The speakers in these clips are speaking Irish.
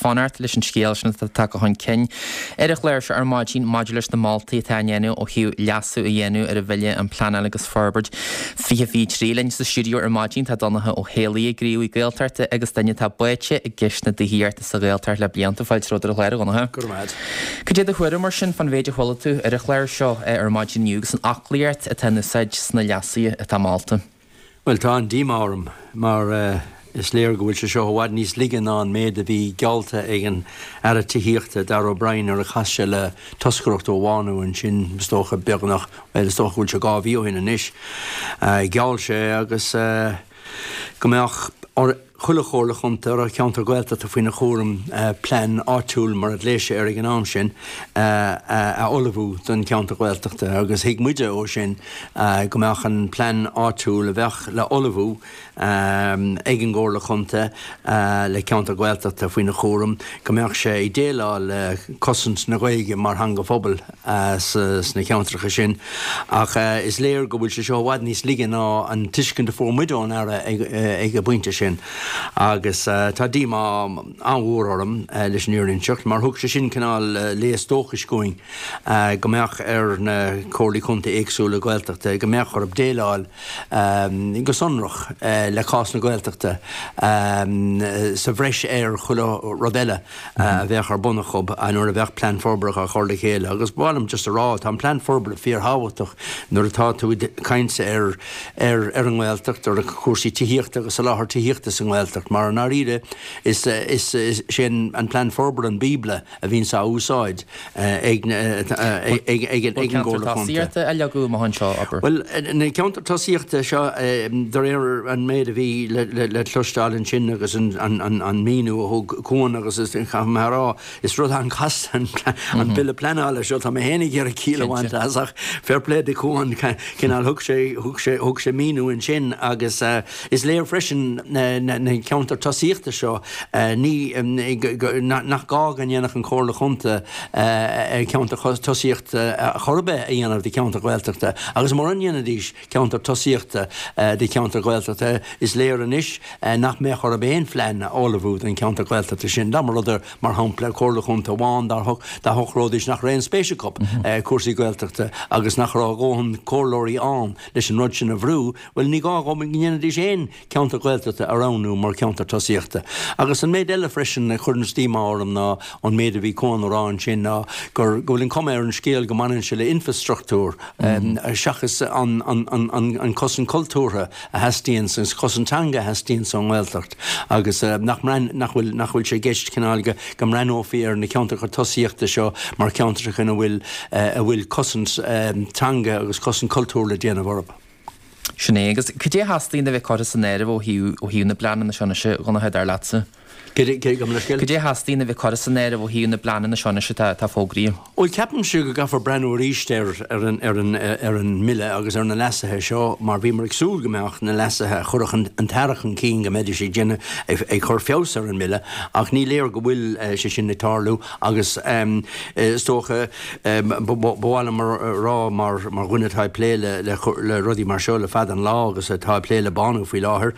fanacht leis an scéal sin atá tagtha chun cinn ar an chlár seo ar maidin maidir leis na moltaí atá á ndéanamh ó thaobh leasú a dhéanamh ar an Bhille um Pleanáil agus Forbairt 2023. Linn sa stiúideo ar maidin tá Donncha Ó hÉalaithe, gníomhaí Gaeltachta agus duine atá báite i gceist na tithíochta sa Ghaeltacht le blianta. Fáilte romhat ar an chlár, a Dhonncha. Go raibh maith agat. Cad é do thuairim mar sin fán mhéid a chuala tú ar an chlár seo ar maidin inniu agus an fhoclaíocht atá in úsáid sna leasuithe atá molta? Bhuel, tá an-díomá orm mar is léir go bhfuil sé seo i bhfad níos laige ná an méid a bhí geallta ag an Aire Tithíochta, Darragh O'Brien, nuair a chas sé le toscaireacht ó Bhánú ansin, is dócha, beagnach, bhuel, is dócha go bhfuil sé 2 mhí ó shin anois. Gheall sé agus go mbeadh ar chuile chomhairle chontae a raibh ceantar Gaeltachta faoina chúram plean áitiúil, mar a ghlaoigh sé air ag an am sin, a ullmhú don cheantar Gaeltachta agus thuig muide ó sin go mbeadh an plean áitiúil a bheadh le ullmhú ag an gcomhairle chontae le ceantar Gaeltachta faoina chúram, go mbeadh sé ag déileáil le cosaint na Gaeilge mar theanga phobail. sna ceantracha sin ach is léir go bhfuil sé seo i bhfad níos laige ná an tuiscint a fuair muid ón Aire ag an bpointe sin agus tá díomá an-mhór orm leis an fhírinne a inseacht mar thug sé sin cineál léas dóchais dhúinn go mbeadh ar na Comhairlí Contae éagsúla Gaeltachta go mbeadh orthu déileáil go sonrach le cás na Gaeltachta sa bhreis ar chuile rud eile. a bheadh ar bun acu nuair a bheadh plean forbartha á chur le chéile. Agus ba mhaith liom just a rá, tá an plean forbartha fíorthábhachtach nuair atá tú ag caint ar ar ar an nGaeltacht, ar chúrsaí tithíochta agus soláthar tithíochta sa nGaeltacht, mar i ndáiríre is is é an plean forbartha an bíobla a bhíonns á úsáid ag ag ag an gComhairle Contae. Tosaíochta a leagadh amach anseo, abair? Bhuel, na ceantair tosaíochta seo, de réir an méid a bhí le cloisteáil ansin agus an míniú a thug Cuan agus is, caithfidh mé a rá, is rud an-chasta an Bille Pleanála seo, tá mé féin ag iarraidh ciall a bhaint as ach fair play do Chuan, cineál thug sé, thug sé, thug sé míniú ansin agus is léir freisin na ceantair tosaíochta seo, ní, nach gá go ndéanfadh an Chomhairle Chontae ceantar tosaíochta chor ar bith a dhéanamh de cheantar Gaeltachta agus mura ndéanfaidís ceantar tosaíochta de cheantar Gaeltachta is léir anois nach mbeadh orthu aon phlean a ullmhú don cheantar Gaeltachta sin. Dá mba rud é, mar shampla, Comhairle Chontae amháin dá shocróidís nach raibh aon spéis acu i cúrsaí Gaeltachta agus nach raibh a dhóthain comhairleoirí ann leis an rud sin a bhrú, bhuel ní gá dhóibh go ndéanfaidís aon ceantar Gaeltachta a roghnú mar cheantar tosaíochta. Agus an méid eile freisin a chuireanns díomá orm ná an méid a bhí Cuan a rá ansin ná gur, go bhfuil an cuma ar an scéal go mbaineann sé le infreastruchtúr seachas an, an, an, an, an cosaint cultúrtha a theastaíonns agus cosaint teanga a theastaíonns ón nGaeltacht agus nach mbreath, nach bhfuil, nach bhfuil sé i gceist cineál go, go mbreathnófaí ar na ceantracha tosaíochta seo mar cheantracha ina bhfuil, a bhfuil cosaint teanga agus cosaint cultúir le déanamh orthu. Sin é. Agus cad é a theastaíonn a bheith curtha san áireamh ó thaobh, ó thaobh na bpleananna seo anois, a Dhonncha, dar leatsa? Cad é, gabh mo leithscéal? Cad é a theastaíonn a bheith curtha san áireamh ó thaobh na bpleananna seo anois atá, atá fógraithe? Bhuel, ceapaimse go gcaithfear breathnú arís ar, ar an, ar an, ar an mBille agus ar na leasuithe seo mar bhíomar ag súil go mbeadh na leasuithe a chuirfeadh an, an tAire chun cinn go mbeidís ag déanamh, ag, ag cur feabhas ar an mBille ach ní léir go bhfuil sé sin ag tarlú agus is dócha Ba mhaith liom a rá mar dhuine atá ag plé le rudaí mar seo le fada an lá agus atá ag plé le Bánú faoi láthair,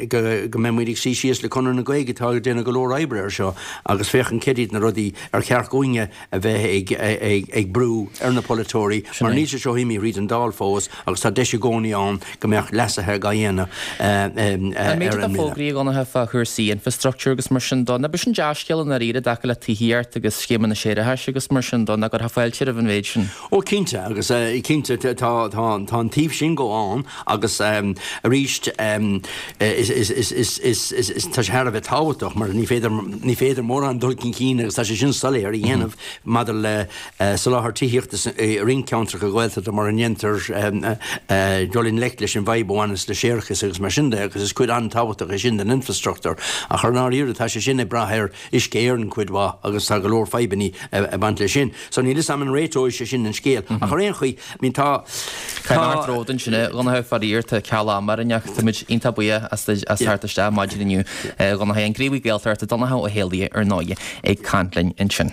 go mbeidh muid ag suí síos le Conradh na Gaeilge atá ag déanamh go leor oibre ar seo agus féachaint céard iad na rudaí ar cheart dhúinne a bheith ag brú ar na polaiteoirí mar níl sé seo imithe thríd an Dáil fós agus tá deis i gcónaí ann go mbeadh leasuithe á dhéanamh ar an mBille. An méid atá fógraithe, a Dhonncha, fá chúrsaí infrastructure agus mar sin dó, ná b'shin dea-scéal i ndáiríre i dtaca le tithíocht agus scéimeanna séarachais agus mar sin dó, ná gcuirfeá fáilte roimh an mhéid sin? Ó cinnte, agus cinnte tá an taobh sin dhó ann agus arís is tá sé thar a bheith tábhachtach mar ní féidir ní féidir mórán dul chun cinn agus tá sé sin soiléir a dhéanamh maidir le soláthar tithíochta i roinnt ceantracha Gaeltachta mura ndéantar dul i ngleic leis an bhfadhb a bhaineas le séarachas agus mar sin de agus is cuid an-tábhachtach é sin den infrastruchtúr. Ach ar ndáiríre tá sé sin ag brath ar Uisce Éireann cuid mhaith agus tá go leor fadhbanna ag baint leis sin. So níl 'fhios a'm an réiteoidh sé sin an scéal. Ach ar aon chaoi, I mean tá, Tá thart romhat ansin a Dhonncha faraor tá ceal ama orainn ach táimid iontach buíoch as teacht isteach maidin inniu a Dhonncha. An gníomhaí Gaeltachta Donncha Ó hÉalaithe ar ndóigh ag caint linn ansin.